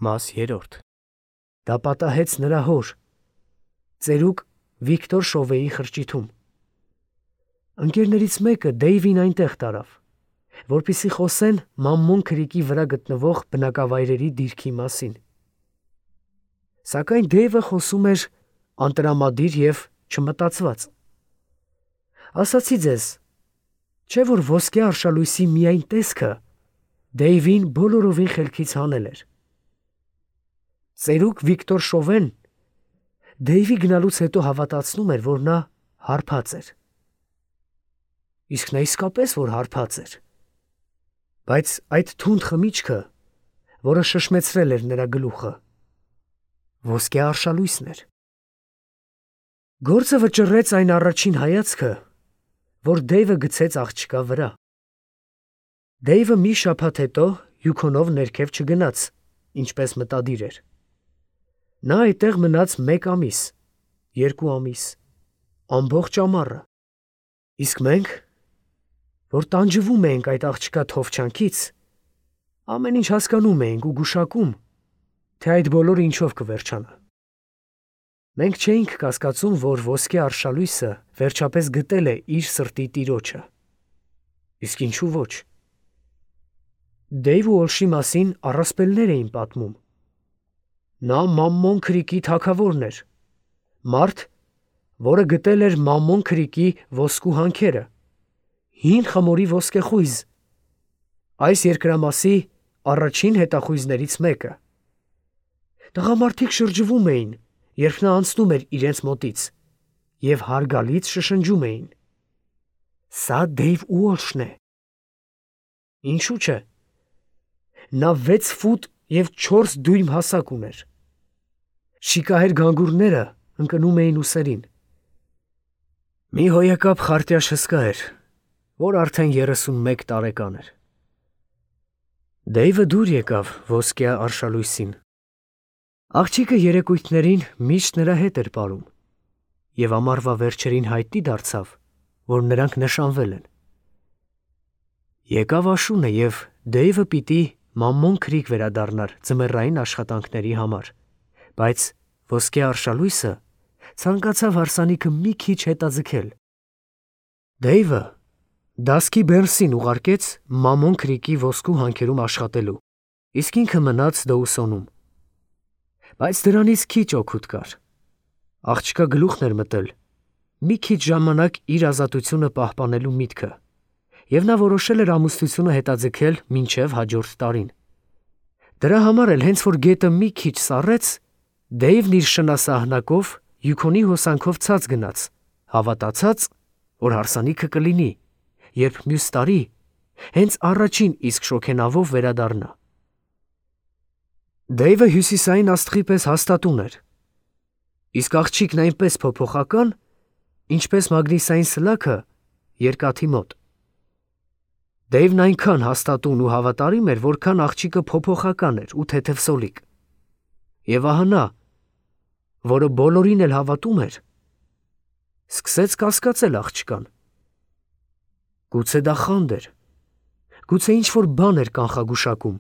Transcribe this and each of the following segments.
Մաս 3 Դա պատահեց նրա հոր, ծերուկ Վիկտոր Շովեի խրճիթում։ Ընկերներից մեկը Դեյվին այնտեղ տարավ, որպեսզի խոսեն Մամմոն քրիկի վրա գտնվող բնակավայրերի դիրքի մասին։ Սակայն Դեյվը խոսում էր անտրամադիր և չմտածված։ Ասացի ձեզ, չէ՞ որ ոսկե արշալույսի միայն տեսքը Դեյվին բոլորովին խելքից հանել էր։ Ծերուկ Վիկտոր Շովեն Դեյվի գնալուց հետո հավատացնում էր, որ նա հարբած էր։ Իսկ նա իսկապես որ հարբած էր, բայց այդ թունդ խմիչքը, որը շշմեցրել էր նրա գլուխը, ոսկե արշալույսն էր։ Գործը վճռեց այն առաջին հայացքը, որ Դեյվը գցեց աղջկա վրա։ Դեյվը մի շաբաթ հետո Յուքոնով ներքև չգնաց, ինչպես մտադիր էր։ Նա այդտեղ մնաց 1 ամիս, 2 ամիս, ամբողջ ամառը։ Իսկ մենք, որ տանջվում էինք այդ աղջկա թովչանքից, ամեն ինչ հասկանում էինք ու գուշակում, թե այդ բոլորը ինչով կվերջանա։ Մենք չէինք կասկածում, որ ոսկե արշալույսը վերջապես գտել է իր սրտի տիրոջը։ Իսկ ինչու ոչ։ Դեյվ ու Օլշի մասին առասպելներ էին պատմում։ Նա Մամմոն քրիկի թագավորն էր, մարդ, որը գտել էր Մամմոն քրիկի ոսկու հանքերը, հին խմորի ոսկեխույզ, այս երկրամասի առաջին հետախույզներից մեկը։ Տղամարդիկ շրջվում էին, երբ նա անցնում էր իրենց մոտից, և հարգալից շշնջում էին. «Սա Դեյվ ու Օլշն է»։ Ինչու՞ չէ։ Նա 6 ֆուտ և 4 դույմ հասակ ուներ։ Շիկահեր գանգուրները ընկնում էին ուսերին։ Մի հոյակապ խարտյաշ հսկա էր, որ արդեն 31 տարեկան էր։ Դեյվը դուր եկավ ոսկե արշալույսին։ Աղջիկը երեկույթներին միշտ նրա հետ էր պարում, և ամառվա վերջերին հայտնի դարձավ, որ նրանք նշանվել են։ Եկավ աշունը, և Դեյվը պիտի Մամմոն քրիկ վերադառնար ձմեռային աշխատանքների համար, բայց ոսկե արշալույսը ցանկացավ հարսանիքը մի քիչ հետաձգել։ Դեյվը Դասկի Բերնսին ուղարկեց Մամմոն քրիկի ոսկու հանքերում աշխատելու, իսկ ինքը մնաց Դոուսոնում։ Բայց դրանից քիչ օգուտ կար։ Աղջկա գլուխն էր մտել մի քիչ ժամանակ իր ազատությունը պահպանելու միտքը, և նա որոշել էր ամուսնությունը հետաձգել մինչև հաջորդ տարին։ Դրա համար էլ հենց որ գետը մի քիչ սառեց, Դեյվն իր շնասահնակով Յուքոնի հոսանքով ցած գնաց, հավատացած, որ հարսանիքը կլինի, երբ մյուս տարի հենց առաջին իսկ շոգենավով վերադառնա։ Դեյվը հյուսիսային աստղի պես հաստատուն էր, իսկ աղջիկն այնպես փոփոխական, ինչպես մագնիսային սլաքը երկաթի մոտ։ Դեյվն այնքան հաստատուն ու հավատարիմ էր, որքան աղջիկը փոփոխական էր ու թեթևսոլիկ։ Եվ ահա նա, որը բոլորին էլ հավատում էր, սկսեց կասկածել աղջկան։ Գուցե դա խանդ էր, գուցե ինչ-որ բան էր կանխագուշակում։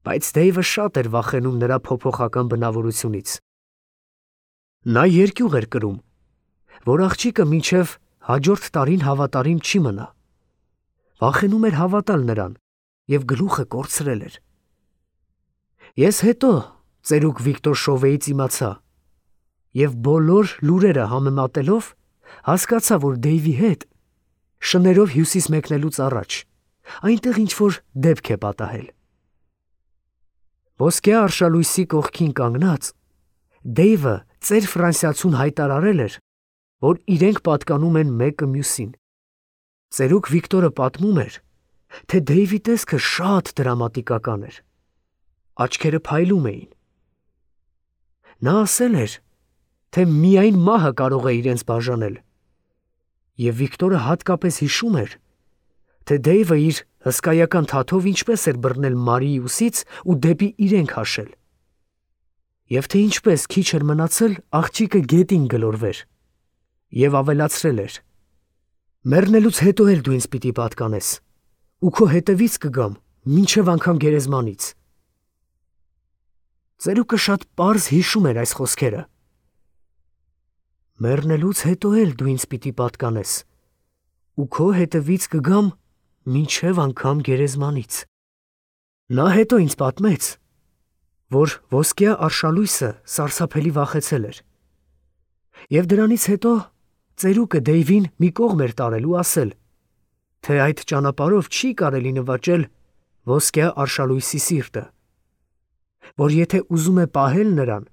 Բայց Դեյվը շատ էր վախենում նրա փոփոխական բնավորությունից։ Նա երկյուղ էր կրում, որ աղջիկը մինչև հաջորդ տարին հավատարիմ չի մնա։ Վախենում էր հավատալ նրան և գլուխը կորցրել էր։ Ես հետո ծերուկ Վիկտոր Շովեից իմացա և բոլոր լուրերը համեմատելով հասկացա, որ Դեյվի հետ շներով հյուսիս մեկնելուց առաջ այնտեղ ինչ-որ դեպք է պատահել։ Ոսկե արշալույսի կողքին կանգնած Դեյվը ծեր ֆրանսիացուն հայտարարել էր, որ իրենք պատկանում են մեկը մյուսին։ Ծերուկ Վիկտորը պատմում էր, թե Դեյվի տեսքը շատ դրամատիկական էր։ Աչքերը փայլում էին։ Նա ասել էր, թե միայն մահը կարող է իրենց բաժանել, և Վիկտորը հատկապես հիշում էր, թե Դեյվը իր հսկայական թաթով ինչպես էր բռնել Մարիի ուսից ու դեպի իրենք հաշել, և թե ինչպես քիչ էր մնացել աղջիկը գետին գլորվեր, և ավելացրել էր. «Մեռնելուց հետո էլ դու ինձ պիտի պատկանես, ու քո հետևից կգամ մինչև անգամ գերեզմանից»։ Ծերուկը շատ պարզ հիշում էր այս խոսքերը։ Մեռնելուց հետո էլ դու ինձ պիտի պատկանես, ու քո հետևից կգամ մինչև անգամ գերեզմանից։ Նա հետո ինձ պատմեց, որ ոսկյա արշալույսը սարսափելի վախեցել էր, և դրանից հետո ծերուկը Դեյվին մի կողմ էր տարել ու ասել, թե այդ ճանապարհով չի կարելի նվաճել ոսկյա արշալույսի սիրտը, որ եթե ուզում է պահել նրան,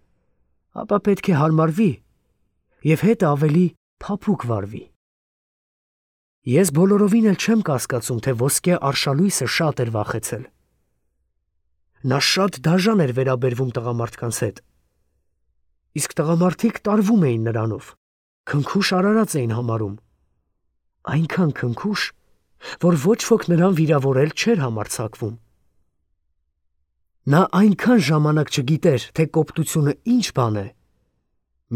ապա պետք է հարմարվի և հետը ավելի փափուկ վարվի։ Ես բոլորովին էլ չեմ կասկածում, թե ոսկյա արշալույսը շատ էր վախեցել։ Նա շատ դաժան էր վերաբերվում տղամարդկանց հետ, իսկ տղամարդիկ տարվում էին նրանով, քնքուշ արարած էին համարում, այնքան քնքուշ, որ ոչ ոք նրան վիրավորել չէր համարձակվում։ Նա այնքան ժամանակ չգիտեր, թե կոպտությունը ինչ բան է,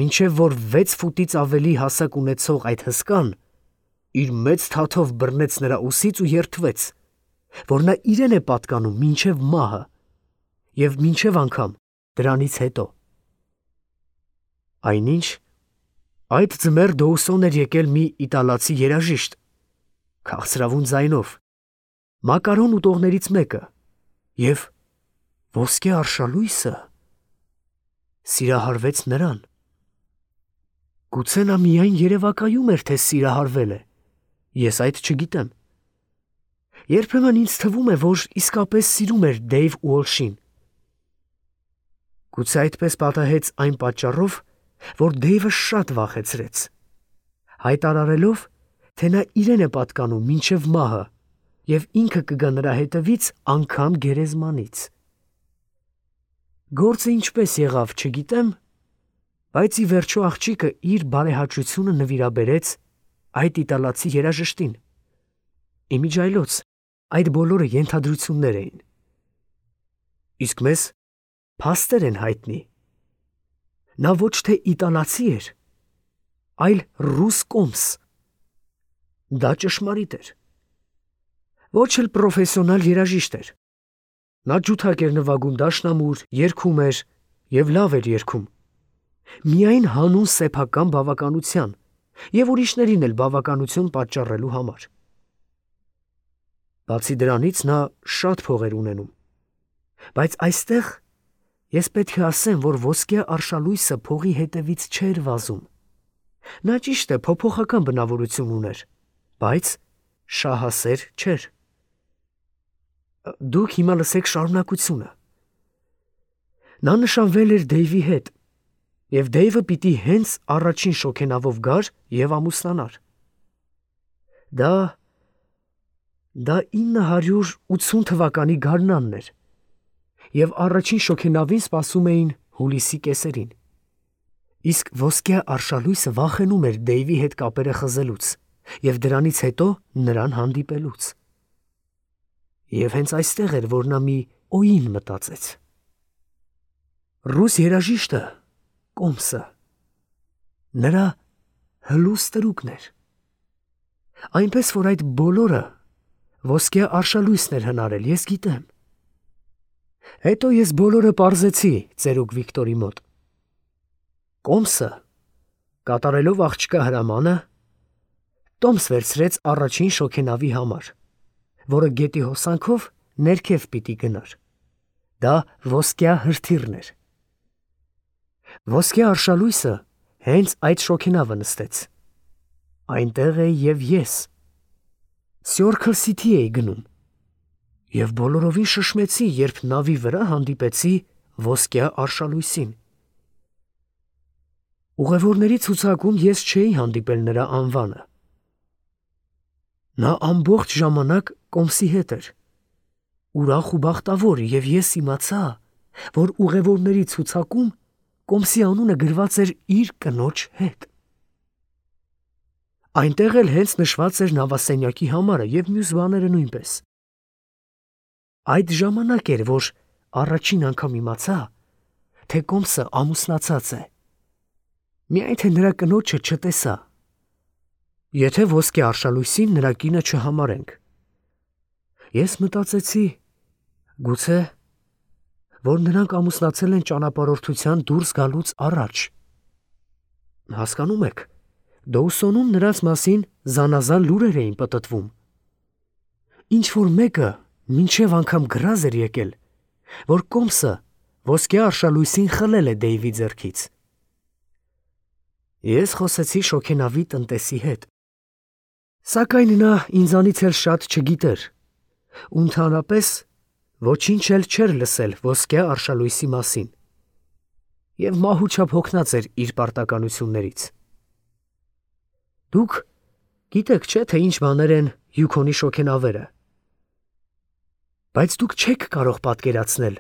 մինչև որ 6 ֆուտից ավելի հասակ ունեցող այդ հսկան իր մեծ թաթով բռնեց նրա ուսից ու երդվեց, որ նա իրեն է պատկանում մինչև մահը և մինչև անգամ դրանից հետո։ Այնինչ, այդ ձմեռ Դոուսոն էր եկել մի իտալացի երաժիշտ, քաղցրավուն ձայնով, մակարոն ուտողներից մեկը, և ոսկե արշալույսը սիրահարվեց նրան։ Գուցե նա միայն երևակայում էր, թե սիրահարվել է, ես այդ չգիտեմ։ Երբեմն ինձ թվում է, որ իսկապես սիրում էր Դեյվ Ուոլշին։ Գուցե այդպես պատահեց այն պատճառով, որ Դեյվը շատ վախեցրեց, հայտարարելով, թե նա իրեն է պատկանում մինչև մահը և ինքը կգա նրա հետևից անգամ գերեզմանից։ Գործը ինչպես եղավ, չգիտեմ, բայց ի վերջո աղջիկը իր բարեհաճությունը նվիրաբերեց այդ իտալացի երաժշտին։ Իմիջիայլոց այդ բոլորը ենթադրություններ էին։ Իսկ մեզ փաստեր են հայտնի։ Նա ոչ թե իտալացի էր, այլ ռուս կոմս։ Դա ճշմարիտ էր։ Ոչ էլ պրոֆեսիոնալ երաժիշտ էր։ Նա ջութակ էր նվագում դաշնամուր, երգում էր և լավ էր երգում։ Միայն հանուն սեփական բավականության և ուրիշներին էլ բավականություն պատճառելու համար։ Բացի դրանից նա շատ փող էր ունենում։ Բայց այստեղ ես պետք է ասեմ, որ ոսկյա արշալույսը փողի հետևից չէր վազում։ Նա ճիշտ է փոփոխական բնավորություն ուներ, բայց շահասեր չէր։ Դուք հիմա լսեք շարունակությունը։ Նա նշանվել էր Դեյվի հետ, և Դեյվը պիտի հենց առաջին շոգենավով գար և ամուսնանար։ Դա 980 թվականի գարնանն էր, և առաջին շոգենավին սպասում էին հուլիսի կեսերին։ Իսկ ոսկյա արշալույսը վախենում էր Դեյվի հետ կապերը խզելուց և դրանից հետո նրան հանդիպելուց։ Եվ հենց այստեղ էր, որ նա մի օին մտածեց։ Ռուս երաժիշտը, կոմսը, նրա հլուս տրուկն էր։ Այնպես, որ այդ բոլորը ոսկյա արշալույսն էր հնարել, ես գիտեմ։ Հետո ես բոլորը պարզեցի ծերուկ Վիկտորի մոտ։ Կոմսը, կատարելով աղջկա հրամանը, տոմս վերցրեց առաջին շոգենավի համար, որը գետի հոսանքով ներքև պիտի գնար։ Դա ոսկյա հրթիռն էր։ Ոսկյա արշալույսը հենց այդ շոգենավը նստեց։ Այնտեղ էի և ես։ Սյորքլ Սիթի էի գնում և բոլորովին շշմեցի, երբ նավի վրա հանդիպեցի ոսկյա արշալույսին։ Ուղևորների ցուցակում ես չէի հանդիպել նրա անվանը։ Նա ամբողջ ժամանակ կոմսի հետ էր, ուրախ ու բախտավոր, և ես իմացա, որ ուղևորների ցուցակում կոմսի անունը գրված էր իր կնոջ հետ։ Այնտեղ էլ հենց նշված էր նավասենյակի համարը և մյուս բաները նույնպես։ Այդ ժամանակ էր, որ առաջին անգամ իմացա, թե կոմսը ամուսնացած է, միայն թե նրա կնոջը չտեսա, եթե ոսկե արշալույսին նրա կինը չհամարենք։ Ես մտածեցի, որ նրանք ամուսնացել են ճանապարհորդության դուրս գալուց առաջ։ Հասկանում եք, Դոուսոնում նրանց մասին զանազան լուրեր էին պտտվում։ Ինչ որ մեկը մինչև անգամ գրազ էր եկել, որ Կոմսը ոսկե արշալույսին խլել է Դեյվի ձեռքից։ Ես խոսեցի շոգենավի տնտեսի հետ, սակայն նա ինձանից էլ շատ չգիտեր, ու ընդհանրապես ոչինչ էլ չէր լսել ոսկե արշալույսի մասին, և մահու չափ հոգնած էր իր պարտականություններից։ Դուք գիտեք չէ, թե ինչ բաներ են Յուքոնի շոգենավերը, բայց դուք չեք կարող պատկերացնել,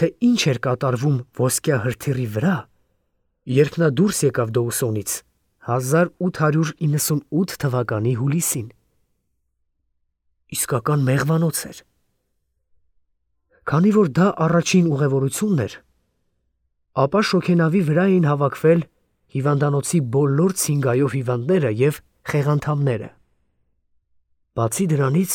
թե ինչ էր կատարվում ոսկյա հրթիռի վրա, երբ նա դուրս եկավ Դոուսոնից 1898 թվականի հուլիսին։ Իսկական մեղվանոց էր։ Քանի որ դա առաջին ուղևորությունն էր, ապա շոգենավի վրա էին հավաքվել հիվանդանոցի բոլոր ցինգայով հիվանդները և խեղանդամները։ Բացի դրանից,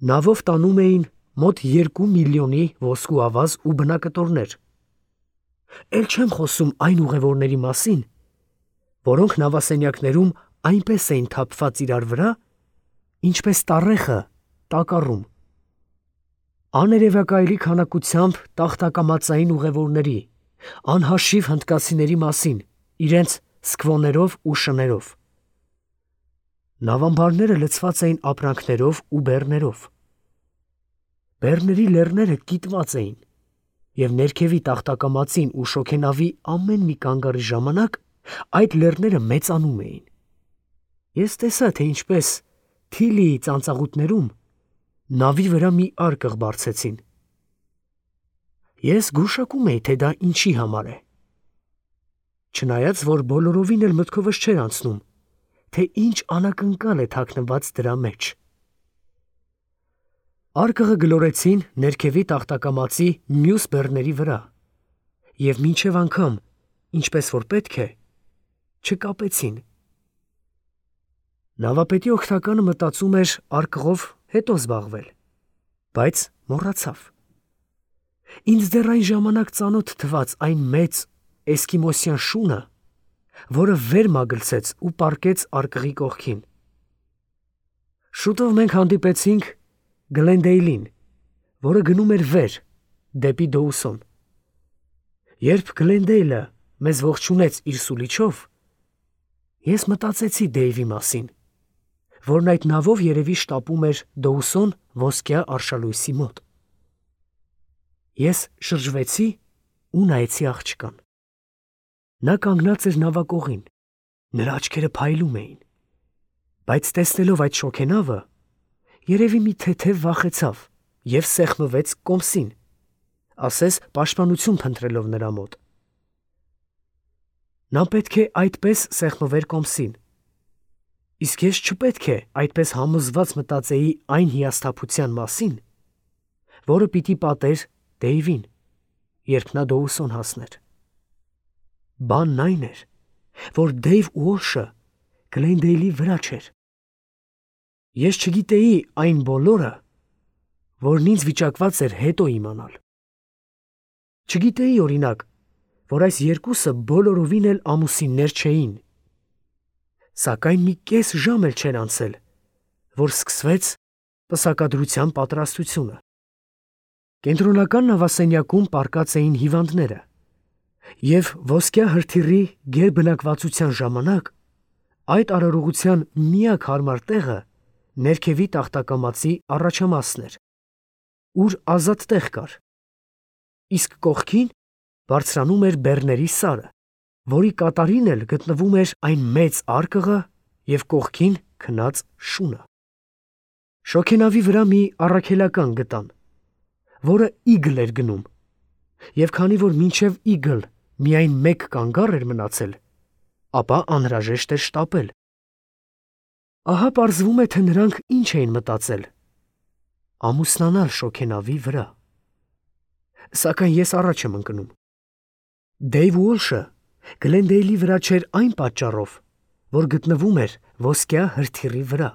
նավով տանում էին մոտ 2 միլիոնի ոսկու ավազ ու բնակտորներ։ Էլ չեմ խոսում այն ուղևորների մասին, որոնք նավասենյակներում այնպես էին թափված իրար վրա, ինչպես տառեխը տակառում։ Աներևակայելի քանակությամբ տախտակամածային ուղևորների, անհաշիվ հնդկացիների մասին, իրենց սկվոներով ու շներով։ Նավամբարները լցված էին ապրանքներով ու բեռներով։ Բեռների լեռները կիտված էին, և ներքևի տախտակամածին ու շոգենավի ամեն մի կանգառի ժամանակ այդ լեռները մեծանում էին։ Ես տեսա, թե ինչպես Թիլիի ծանծաղուտներում նավի վրա մի արկղ բարձեցին։ Ես գուշակում էի, թե դա ինչի համար է։ Չնայած, որ բոլորովին էլ մտքովս չէր անցնում, թե ինչ անակնկալ է թաքնված դրա մեջ։ Արկղը գլորեցին ներքևի տախտակամածի մյուս բեռների վրա, և մինչև անգամ, ինչպես որ պետք է, չկապեցին։ Նավապետի օգնականը մտածում էր արկղով հետո զբաղվել, բայց մոռացավ։ Ինձ դեռ այն ժամանակ ծանոթ թվաց այն մեծ էսկիմոսյան շունը, որը վեր մագլցեց ու պառկեց արկղի կողքին։ Շուտով մենք հանդիպեցինք Գլենդեյլին, որը գնում էր վեր, դեպի Դոուսոն։ Երբ Գլենդեյլը մեզ ողջունեց իր սուլիչով, ես մտածեցի Դեյվի մասին, որն այդ նավով երևի շտապում էր Դոուսոն ոսկյա արշալույսի մոտ։ Ես շրջվեցի ու նայեցի աղջկան։ Նա կանգնած էր նավակողին, նրա աչքերը փայլում էին, բայց տեսնելով այդ շոգենավը, երևի մի թեթև վախեցավ և սեղմվեց Կոմսին, ասես պաշտպանություն փնտրելով նրա մոտ։ Նա պետք է այդպես սեղմվեր Կոմսին, իսկ ես չպետք է այդպես համոզված մտածեի այն հիասթափության մասին, որը պիտի պատեր Դեյվին, երբ նա Դոուսոն հասներ։ Բանն այն էր, որ Դեյվ Ուոլշը Գլենդեյլի վրա չէր։ Ես չգիտեի այն բոլորը, որն ինձ վիճակված էր հետո իմանալ։ Չգիտեի, օրինակ, որ այս երկուսը բոլորովին էլ ամուսիններ չէին։ Սակայն մի կես ժամ էլ չէր անցել, որ սկսվեց պսակադրության պատրաստությունը։ Կենտրոնական նավասենյակում պառկած էին հիվանդները, և ոսկյա հրթիռի գերբնակվածության ժամանակ այդ արարողության միակ հարմար տեղը ներքևի տախտակամածի առաջամասն էր, ուր ազատ տեղ կար, իսկ կողքին բարձրանում էր բեռների սարը, որի կատարին էլ գտնվում էր այն մեծ արկղը և կողքին քնած շունը։ Շոգենավի վրա մի առաքելական գտան, որը իգլ էր գնում, և քանի որ մինչև իգլ միայն մեկ կանգառ էր մնացել, ապա անհրաժեշտ էր շտապել։ Ահա պարզվում է, թե նրանք ինչ էին մտածել. ամուսնանալ շոգենավի վրա։ Սակայն ես առաջ եմ ընկնում։ Դեյվ Ուոլշը Գլենդեյլի վրա չէր այն պատճառով, որ գտնվում էր ոսկյա հրթիռի վրա։